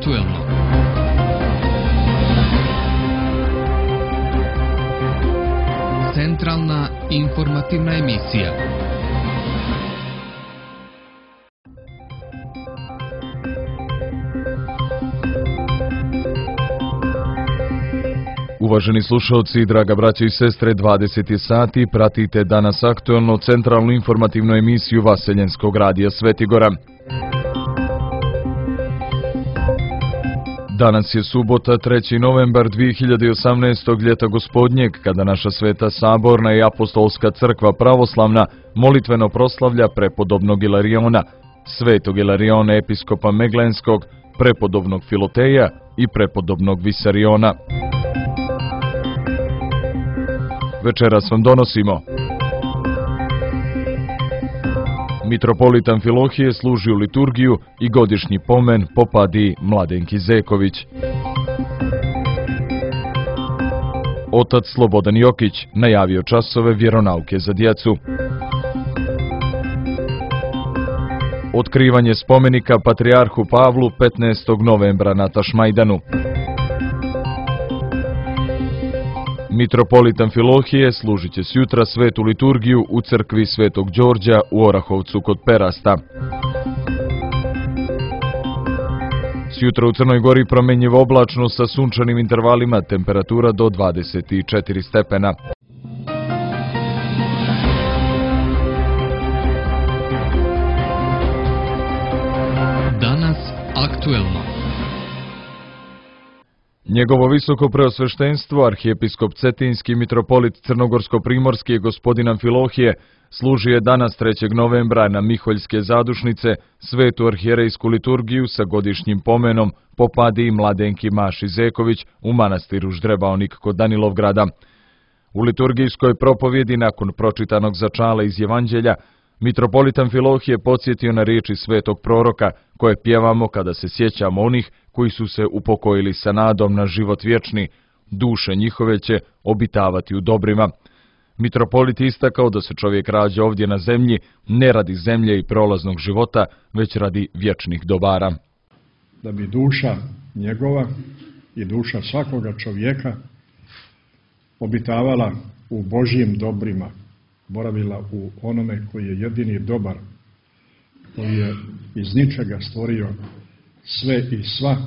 aktuelno. Centralna informativna emisija. Uvaženi slušalci, draga braćo i sestre, 20 sati, pratite danas aktuelno centralnu informativnu emisiju Vaseljenskog radija Svetigora. Danas je subota, 3. novembar 2018. ljeta gospodnjeg, kada naša Sveta Saborna i Apostolska crkva pravoslavna molitveno proslavlja prepodobnog Ilariona, Svetog Ilariona episkopa Meglenskog, prepodobnog Filoteja i prepodobnog Visariona. Večeras vam donosimo: mitropolit Amfilohije služi u liturgiju i godišnji pomen popadi Mladenki Zeković. Otac Slobodan Jokić najavio časove vjeronauke za djecu. Otkrivanje spomenika patrijarhu Pavlu 15. novembra na Tašmajdanu. Mitropolit Amfilohije služit će sjutra svetu liturgiju u crkvi Svetog Đorđa u Orahovcu kod Perasta. Sjutra u Crnoj Gori promenjivo oblačno sa sunčanim intervalima, temperatura do 24 stepena. Danas aktuelno. Njegovo visoko preosveštenstvo, arhijepiskop Cetinski mitropolit Crnogorsko-primorski gospodin Amfilohije, služi je danas 3. novembra na Miholjske zadušnice svetu arhijerejsku liturgiju sa godišnjim pomenom popadi Mladenki Maši Zeković u manastiru Ždrebaonik kod Danilovgrada. U liturgijskoj propovjedi nakon pročitanog začala iz Evanđelja, mitropolit Amfilohije podsjetio na riječi svetog proroka koje pjevamo kada se sjećamo onih koji su se upokojili sa nadom na život vječni, duše njihove će obitavati u dobrima. Mitropolit istakao da se čovjek rađa ovdje na zemlji ne radi zemlje i prolaznog života, već radi vječnih dobara. Da bi duša njegova i duša svakoga čovjeka obitavala u Božjim dobrima, boravila u onome koji je jedini dobar, koji je iz ničega stvorio sve i sva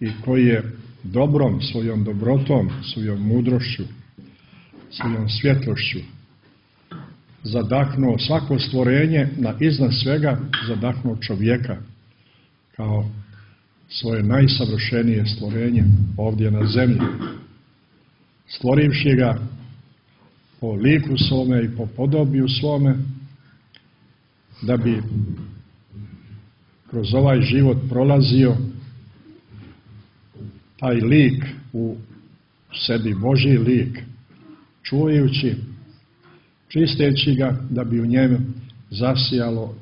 i koji je dobrom, svojom dobrotom, svojom mudrošću, svojom svjetlošću zadahnuo svako stvorenje, na iznad svega zadahnuo čovjeka kao svoje najsavršenije stvorenje ovdje na zemlji, stvorivši ga po liku svome i po podobiju svome, da bi kroz ovaj život prolazio taj lik u sebi, Božji lik, čuvajući, čisteći ga, da bi u njemu zasijalo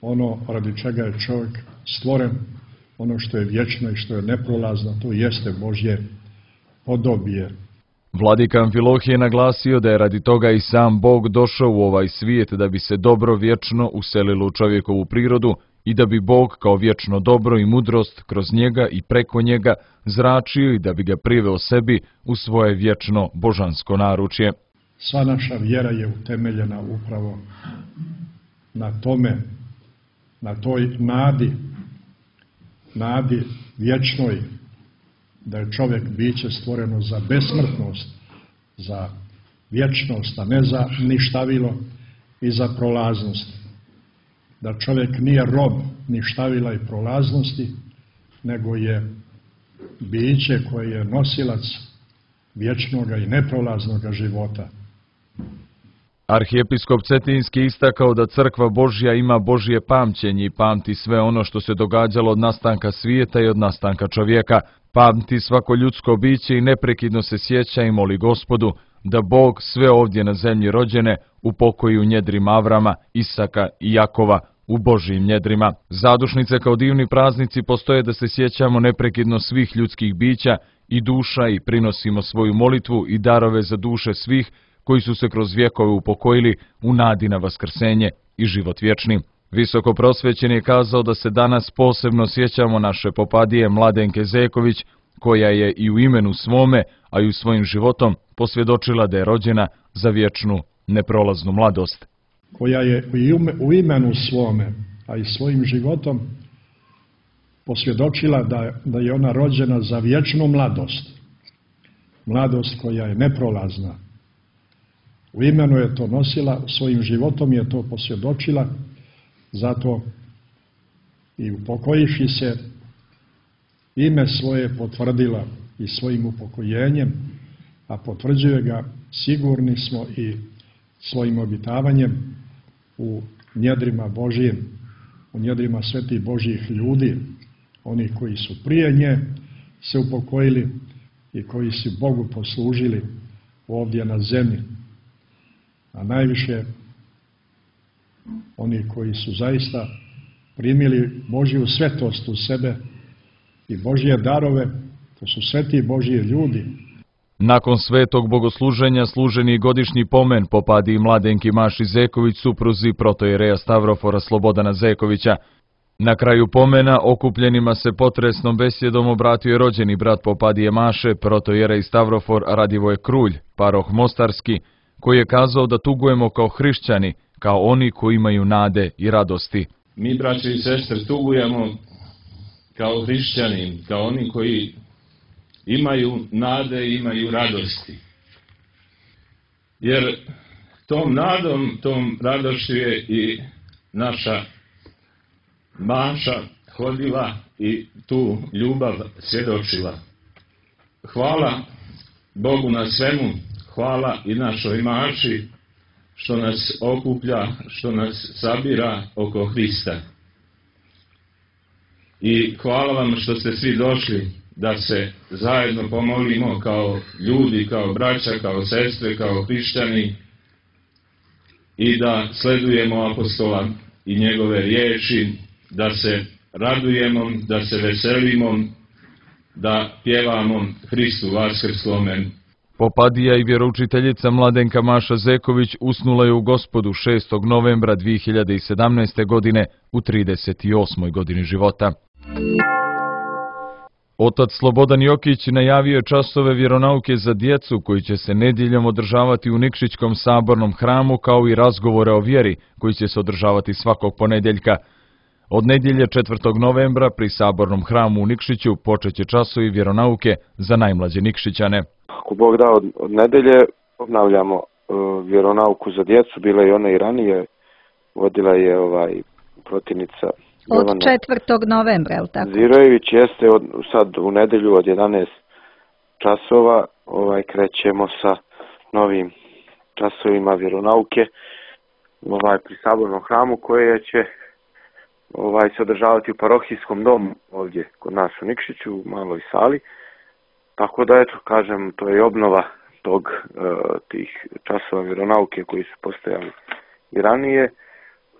ono radi čega je čovjek stvoren, ono što je vječno i što je neprolazno, to jeste Božje podobije. Vladika Amfilohije naglasio da je radi toga i sam Bog došao u ovaj svijet da bi se dobro vječno uselilo u čovjekovu prirodu i da bi Bog kao vječno dobro i mudrost kroz njega i preko njega zračio i da bi ga priveo sebi u svoje vječno božansko naručje. Sva naša vjera je utemeljena upravo na tome, na toj nadi vječnoj, da je čovjek biće stvoreno za besmrtnost, za vječnost, a ne za ništavilo i za prolaznost. Da čovjek nije rob ništavila i prolaznosti, nego je biće koje je nosilac vječnoga i neprolaznoga života. Arhijepiskop Cetinski istakao da crkva Božja ima Božje pamćenje i pamti sve ono što se događalo od nastanka svijeta i od nastanka čovjeka. Pamti svako ljudsko biće i neprekidno se sjeća i moli Gospodu da Bog sve ovdje na zemlji rođene upokoji u njedrima Avrama, Isaka i Jakova, u Božjim njedrima. Zadušnice kao divni praznici postoje da se sjećamo neprekidno svih ljudskih bića i duša i prinosimo svoju molitvu i darove za duše svih koji su se kroz vjekove upokojili u nadi na vaskrsenje i život vječni. Visokoprosvećen je kazao da se danas posebno sjećamo naše popadije Mladenke Zeković, koja je i u imenu svome, a i u svojim životom posvjedočila da je rođena za vječnu, neprolaznu mladost. Koja je u imenu svome, a i svojim životom posvjedočila da je ona rođena za vječnu mladost. Mladost koja je neprolazna. U imenu je to nosila, svojim životom je to posvjedočila, zato i upokojivši se, ime svoje potvrdila i svojim upokojenjem, a potvrđuje ga, sigurni smo, i svojim obitavanjem u njedrima Božijim, u njedrima svetih Božjih ljudi, oni koji su prije nje se upokojili i koji su Bogu poslužili ovdje na zemlji. A najviše oni koji su zaista primili Božju svetost u sebe i Božje darove, to su sveti Božji ljudi. Nakon svetog bogosluženja služen je godišnji pomen popadi Mladenki Maši Zeković, supruzi protojereja Stavrofora Slobodana Zekovića. Na kraju pomena okupljenima se potresnom besjedom obratio je rođeni brat popadije Maše, protojerej Stavrofor Radivoje Krulj, paroh Mostarski, koji je kazao da tugujemo kao hrišćani, kao oni koji imaju nade i radosti. Mi, braće i sestre, tugujemo kao hrišćani, kao oni koji imaju nade i imaju radosti. Jer tom nadom, tom radošću je i naša Maša hodila i tu ljubav svjedočila. Hvala Bogu na svemu, hvala i našoj Maši što nas okuplja, što nas sabira oko Hrista. I hvala vam što ste svi došli da se zajedno pomolimo kao ljudi, kao braća, kao sestre, kao hrišćani i da sledujemo apostola i njegove riječi, da se radujemo, da se veselimo, da pjevamo Hristu vaskrslome. Popadija i vjeroučiteljica Mladenka Maša Zeković usnula je u Gospodu 6. novembra 2017. godine u 38. godini života. Otac Slobodan Jokić najavio je časove vjeronauke za djecu koji će se nedjeljom održavati u Nikšićkom sabornom hramu, kao i razgovore o vjeri koji će se održavati svakog ponedjeljka. Od nedjelje 4. novembra pri sabornom hramu u Nikšiću počet će časovi vjeronauke za najmlađe Nikšićane. Ako Bog da, od nedelje obnavljamo vjeronauku za djecu, bila je ona i ranije, vodila je protivnica od 4. novembra, je li tako? Zirojević, jeste sad u nedelju od 11 časova, krećemo sa novim časovima vjeronauke pri sabornom hramu, koje će se održavati u parohijskom domu ovdje kod nas u Nikšiću, u maloj sali. Tako da, eto, kažem, to je obnova tih časova vjeronauke koji su postojali i ranije.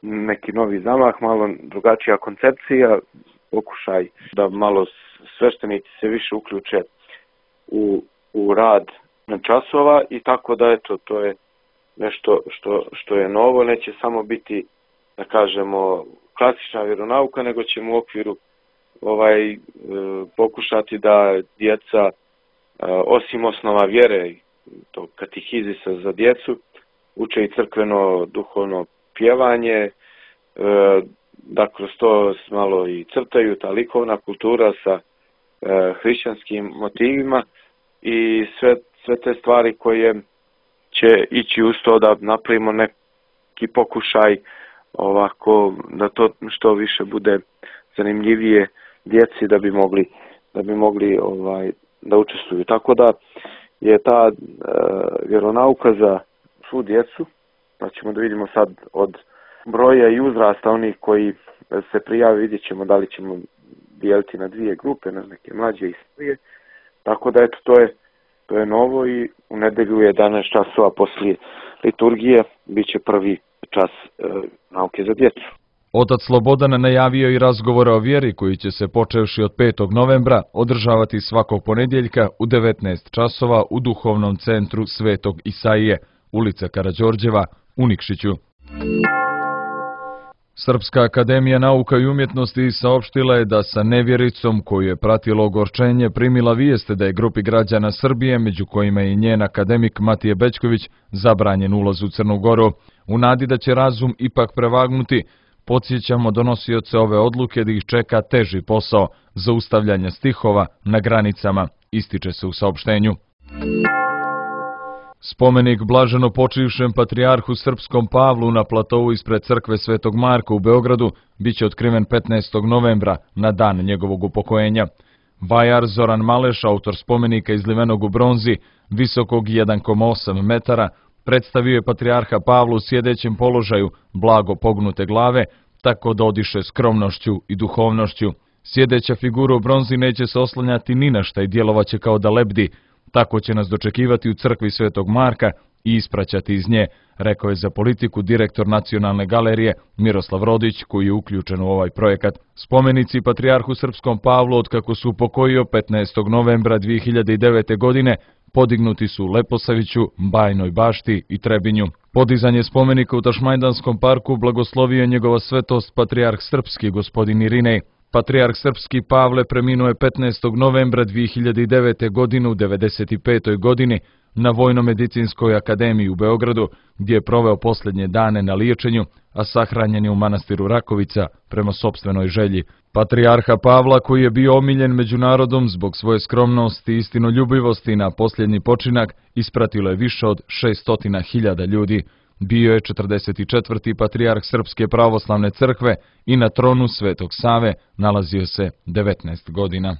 Neki novi zamah, malo drugačija koncepcija, pokušaj da malo sveštenici se više uključe u rad časova i tako da, eto, to je nešto što je novo. Neće samo biti, da kažemo, klasična vjeronauka, nego ćemo u okviru pokušati da djeca, osim osnova vjere, to katehizisa za djecu, uče i crkveno duhovno pjevanje, da kroz to malo i crtaju, ta likovna kultura sa hrišćanskim motivima i sve te stvari koje će ići uz to da napravimo neki pokušaj ovako da to što više bude zanimljivije djeci da bi mogli da učestvuju. Tako da je ta vjeronauka za svu djecu, pa ćemo da vidimo sad od broja i uzrasta onih koji se prijave, vidjet ćemo da li ćemo dijeliti na dvije grupe, na neke mlađe i starije. Tako da, eto, to je novo i u nedelju 11 časova poslije liturgije bit će prvi čas nauke za djecu. Otac Slobodan najavio i razgovore o vjeri koji će se počevši od 5. novembra održavati svakog ponedjeljka u 19 časova u duhovnom centru Svetog Isaije, ulica Karađorđeva u Nikšiću. Srpska akademija nauka i umjetnosti saopštila je da sa nevjericom koju je pratilo ogorčenje primila vijeste da je grupi građana Srbije, među kojima je i njen akademik Matije Bećković, zabranjen ulaz u Crnu Goru. U nadi da će razum ipak prevagnuti, podsjećamo donosioce ove odluke da ih čeka teži posao zaustavljanja stihova na granicama, ističe se u saopštenju. Spomenik blaženo počivšem patrijarhu srpskom Pavlu na platovu ispred crkve Svetog Marka u Beogradu biće otkriven 15. novembra na dan njegovog upokojenja. Vajar Zoran Maleš, autor spomenika izlivenog u bronzi, visokog 1,8 metara, predstavio je patrijarha Pavlu u sjedećem položaju, blago pognute glave, tako da odiše skromnošću i duhovnošću. Sjedeća figura u bronzi neće se oslanjati ni na šta i djelovaće kao da lebdi. Tako će nas dočekivati u crkvi Svetog Marka i ispraćati iz nje, rekao je za politiku direktor Nacionalne galerije Miroslav Rodić, koji je uključen u ovaj projekat. Spomenici patrijarhu srpskom Pavlu, otkako su upokojio 15. novembra 2009. godine, podignuti su u Leposaviću, Bajnoj Bašti i Trebinju. Podizanje spomenika u Tašmajdanskom parku blagoslovio je njegova svetost patrijarh srpski gospodin Irinej. Patrijarh srpski Pavle preminuo je 15. novembra 2009. godine u 95. godini na Vojno-medicinskoj akademiji u Beogradu, gdje je proveo posljednje dane na liječenju, a sahranjen je u manastiru Rakovica prema sopstvenoj želji. Patrijarha Pavla, koji je bio omiljen među narodom zbog svoje skromnosti i istinoljubivosti na posljednji počinak, ispratilo je više od 600.000 ljudi. Bio je 44. patrijarh Srpske pravoslavne crkve i na tronu Svetog Save nalazio se 19 godina.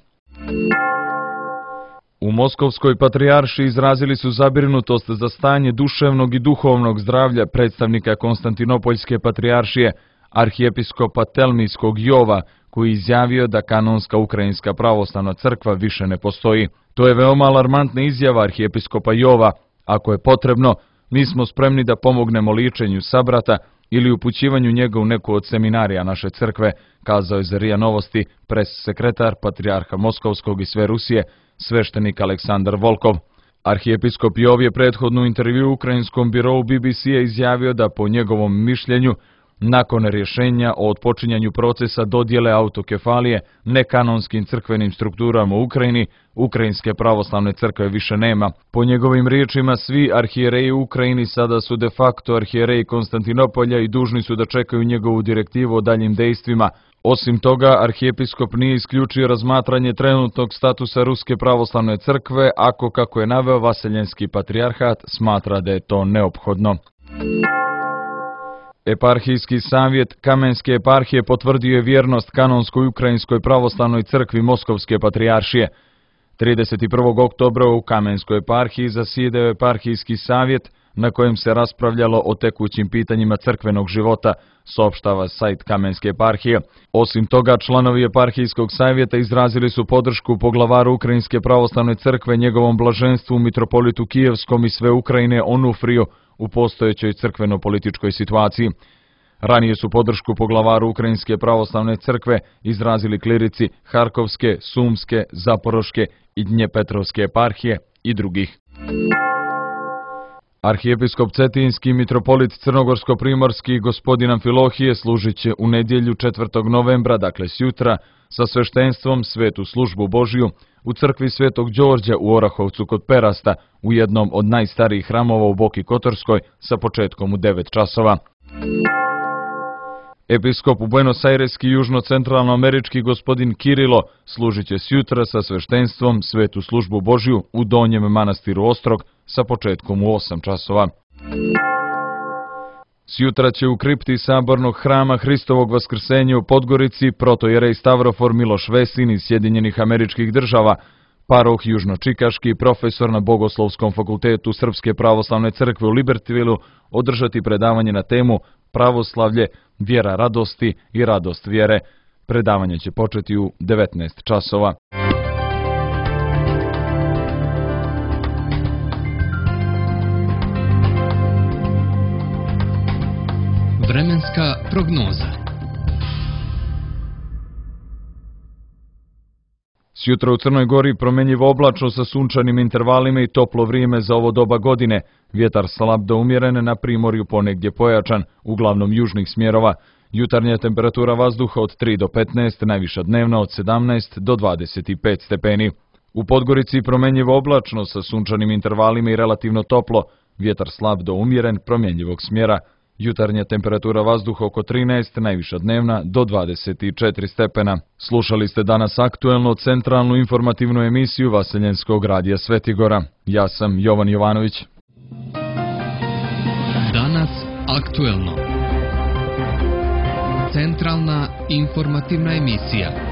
U Moskovskoj patrijarši izrazili su zabrinutost za stanje duševnog i duhovnog zdravlja predstavnika Konstantinopoljske patrijaršije, arhijepiskopa Telmijskog Jova, koji je izjavio da kanonska Ukrajinska pravoslavna crkva više ne postoji. To je veoma alarmantna izjava arhijepiskopa Jova. Ako je potrebno, mi smo spremni da pomognemo ličenju sabrata ili upućivanju njega u neku od seminarija naše crkve, kazao je za RIA Novosti pres-sekretar patrijarha Moskovskog i sve Rusije, sveštenik Aleksandar Volkov. Arhijepiskop Jov je prethodnu intervju ukrajinskom birovu BBC-a izjavio da po njegovom mišljenju, nakon rješenja o otpočinjanju procesa dodjele autokefalije nekanonskim crkvenim strukturama u Ukrajini, Ukrajinske pravoslavne crkve više nema. Po njegovim riječima, svi arhijereji u Ukrajini sada su de facto arhijereji Konstantinopolja i dužni su da čekaju njegovu direktivu o daljim dejstvima. Osim toga, arhijepiskop nije isključio razmatranje trenutnog statusa Ruske pravoslavne crkve, ako, kako je naveo Vaseljenski patrijarhat, smatra da je to neophodno. Eparhijski savjet Kamenske eparhije potvrdio je vjernost kanonskoj Ukrajinskoj pravoslavnoj crkvi Moskovske patrijaršije. 31. oktobra u Kamenskoj eparhiji zasjedao je eparhijski savjet na kojem se raspravljalo o tekućim pitanjima crkvenog života, saopštava sajt Kamenske eparhije. Osim toga, članovi eparhijskog savjeta izrazili su podršku poglavaru Ukrajinske pravoslavne crkve, njegovom blaženstvu mitropolitu Kijevskom i sve Ukrajine Onufriju u postojećoj crkveno-političkoj situaciji. Ranije su podršku poglavaru Ukrajinske pravoslavne crkve izrazili klirici Harkovske, Sumske, Zaporoške i Dnjepetrovske eparhije i drugih. Arhijepiskop Cetinski mitropolit Crnogorsko-primorski gospodin Amfilohije služit će u nedjelju 4. novembra, dakle sjutra, sa sveštenstvom Svetu službu Božiju u crkvi Svetog Đorđa u Orahovcu kod Perasta, u jednom od najstarijih hramova u Boki Kotorskoj, sa početkom u 9 časova. Episkop u Buenos Aireski južno-centralnoamerički gospodin Kirilo služit će sjutra sa sveštenstvom Svetu službu Božju u Donjem manastiru Ostrog sa početkom u 8 časova. Sjutra će u kripti sabornog hrama Hristovog vaskrsenja u Podgorici protojerej Stavrofor Miloš Vesin iz Sjedinjenih Američkih Država, paroh južno-čikaški, profesor na Bogoslovskom fakultetu Srpske pravoslavne crkve u Libertyvilu, održati predavanje na temu Pravoslavlje, vjera radosti i radost vjere. Predavanje će početi u 19 časova. Vremenska prognoza. Sjutra u Crnoj Gori promjenjivo oblačno sa sunčanim intervalima i toplo vrijeme za ovo doba godine. Vjetar slab do umjeren, na primorju ponegdje pojačan, uglavnom južnih smjerova. Jutarnja temperatura vazduha od 3 do 15, najviša dnevna od 17 do 25 stepeni. U Podgorici promenjivo oblačno sa sunčanim intervalima i relativno toplo, vjetar slab do umjeren, promjenjivog smjera. Jutarnja temperatura vazduha oko 13, najviša dnevna do 24 stepena. Slušali ste danas aktuelno centralnu informativnu emisiju Vaseljenskog radija Svetigora. Ja sam Jovan Jovanović. Danas aktuelno. Centralna informativna emisija.